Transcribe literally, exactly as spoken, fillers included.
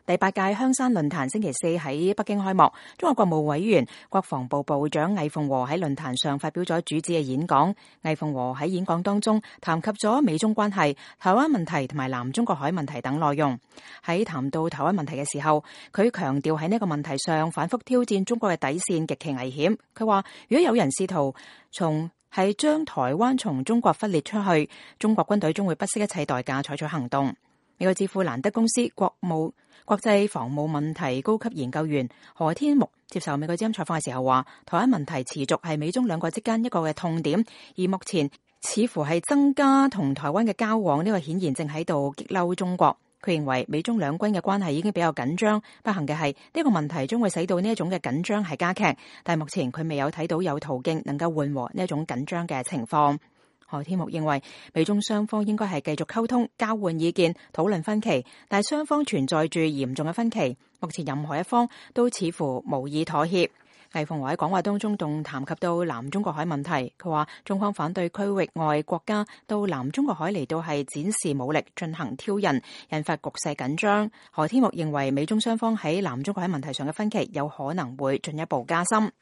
第八屆香山論壇星期四喺北京開幕，中國國務委員、國防部部長魏鳳和喺論壇上發表咗主旨嘅演講。魏鳳和喺演講當中談及咗美中關係、台灣問題同埋南中國海問題等內容。喺談到台灣問題嘅時候，佢強調喺呢個問題上反覆挑戰中國嘅底線極其危險。佢話如果有人試圖從係將台灣從中國分裂出去，中國軍隊將會不惜一切代價採取行動。美國智庫蘭德公司國務國際防務問題高級研究員何天木接受美國之音採訪嘅時候話，台灣問題持續係美中兩國之間一個嘅痛點，而目前似乎係增加同台灣嘅交往，呢個顯然正喺度激嬲中國。佢認為美中兩軍嘅關係已經比較緊張，不幸嘅係呢個問題將會使到呢一種嘅緊張係加劇，但係目前佢未有睇到有途徑能夠緩和呢一種緊張嘅情況。何天木認為美中雙方應該係繼續溝通、交換意見、討論分歧，但係雙方存在住嚴重嘅分歧，目前任何一方都似乎無意妥協。魏鳳和喺講話當中仲談及到南中國海問題，佢話中方反對區域外國家到南中國海嚟到係展示武力進行挑釁，引發局勢緊張。何天木認為美中雙方喺南中國海問題上嘅分歧有可能會進一步加深。